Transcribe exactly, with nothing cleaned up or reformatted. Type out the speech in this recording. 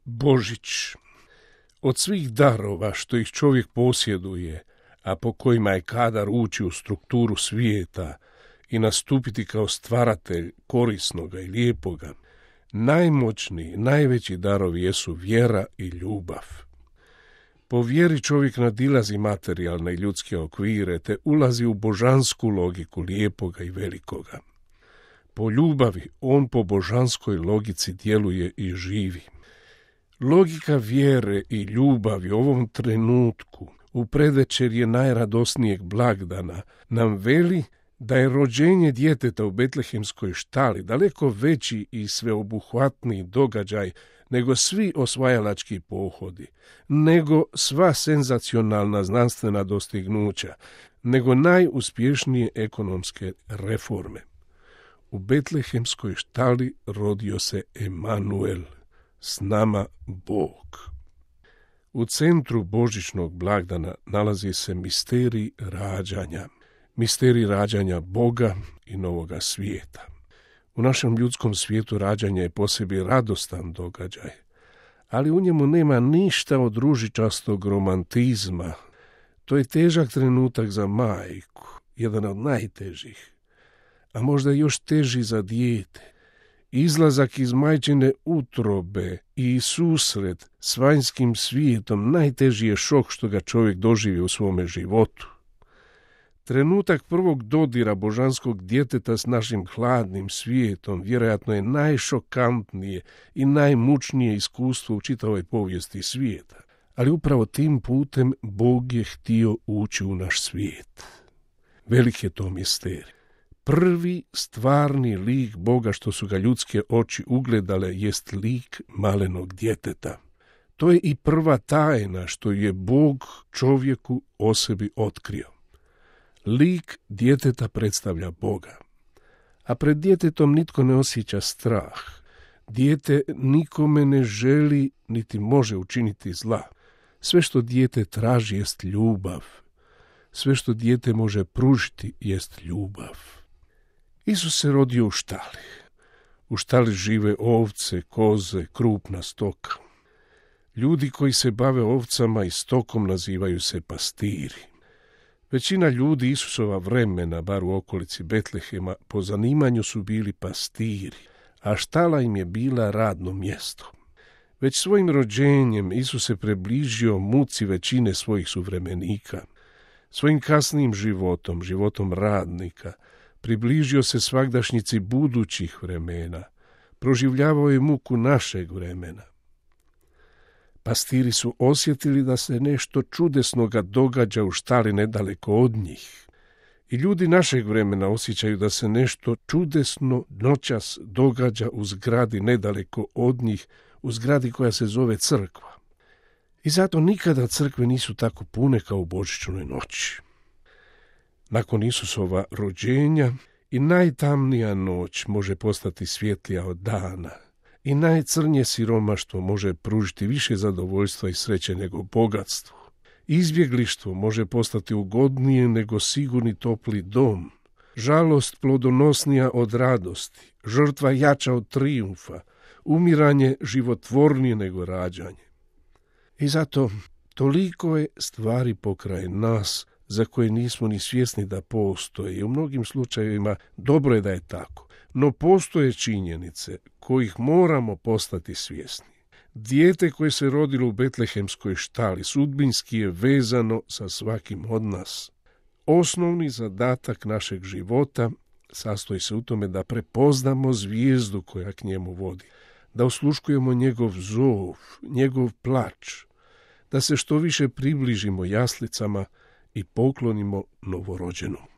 Božić. Od svih darova što ih čovjek posjeduje, a po kojima je kadar ući u strukturu svijeta i nastupiti kao stvaratelj korisnoga i lijepoga, najmoćniji, najveći darovi jesu vjera i ljubav. Po vjeri čovjek nadilazi materijalne i ljudske okvire, te ulazi u božansku logiku lijepoga i velikoga. Po ljubavi on po božanskoj logici djeluje i živi. Logika vjere i ljubavi u ovom trenutku, u predvečerje najradosnijeg blagdana, nam veli da je rođenje djeteta u betlehemskoj štali daleko veći i sveobuhvatniji događaj nego svi osvajalački pohodi, nego sva senzacionalna znanstvena dostignuća, nego najuspješnije ekonomske reforme. U betlehemskoj štali rodio se Emanuel, s nama Bog. U centru božićnog blagdana nalazi se misterij rađanja, misterij rađanja Boga i novoga svijeta. U našem ljudskom svijetu rađanje je po sebi radostan događaj, ali u njemu nema ništa od ružičastog romantizma. To je težak trenutak za majku, jedan od najtežih, a možda još teži za dijete. Izlazak iz majčine utrobe i susret s vanjskim svijetom najteži je šok što ga čovjek doživi u svome životu. Trenutak prvog dodira božanskog djeteta s našim hladnim svijetom vjerojatno je najšokantnije i najmučnije iskustvo u čitavoj povijesti svijeta. Ali upravo tim putem Bog je htio ući u naš svijet. Velik je to misterij. Prvi stvarni lik Boga što su ga ljudske oči ugledale jest lik malenog djeteta. To je i prva tajna što je Bog čovjeku o sebi otkrio. Lik djeteta predstavlja Boga. A pred djetetom nitko ne osjeća strah. Dijete nikome ne želi niti može učiniti zla. Sve što dijete traži jest ljubav. Sve što dijete može pružiti jest ljubav. Isus se rodio u štali. U štali žive ovce, koze, krupna stoka. Ljudi koji se bave ovcama i stokom nazivaju se pastiri. Većina ljudi Isusova vremena, bar u okolici Betlehema, po zanimanju su bili pastiri, a štala im je bila radno mjesto. Već svojim rođenjem Isus se približio muci većine svojih suvremenika. Svojim kasnijim životom, životom radnika, približio se svagdašnjici budućih vremena, proživljavao je muku našeg vremena. Pastiri su osjetili da se nešto čudesnoga događa u štali nedaleko od njih. I ljudi našeg vremena osjećaju da se nešto čudesno noćas događa u zgradi nedaleko od njih, u zgradi koja se zove crkva. I zato nikada crkve nisu tako pune kao u božićnoj noći. Nakon Isusova rođenja i najtamnija noć može postati svjetlija od dana. I najcrnje siromaštvo može pružiti više zadovoljstva i sreće nego bogatstvo. Izbjeglištvo može postati ugodnije nego sigurni topli dom. Žalost plodonosnija od radosti, žrtva jača od trijumfa, umiranje životvornije nego rađanje. I zato toliko je stvari pokraj nas za koje nismo ni svjesni da postoje i u mnogim slučajevima dobro je da je tako. No postoje činjenice kojih moramo postati svjesni. Dijete koje se rodilo u betlehemskoj štali sudbinski je vezano sa svakim od nas. Osnovni zadatak našeg života sastoji se u tome da prepoznamo zvijezdu koja k njemu vodi, da osluškujemo njegov zov, njegov plač, da se što više približimo jaslicama i poklonimo novorođenom.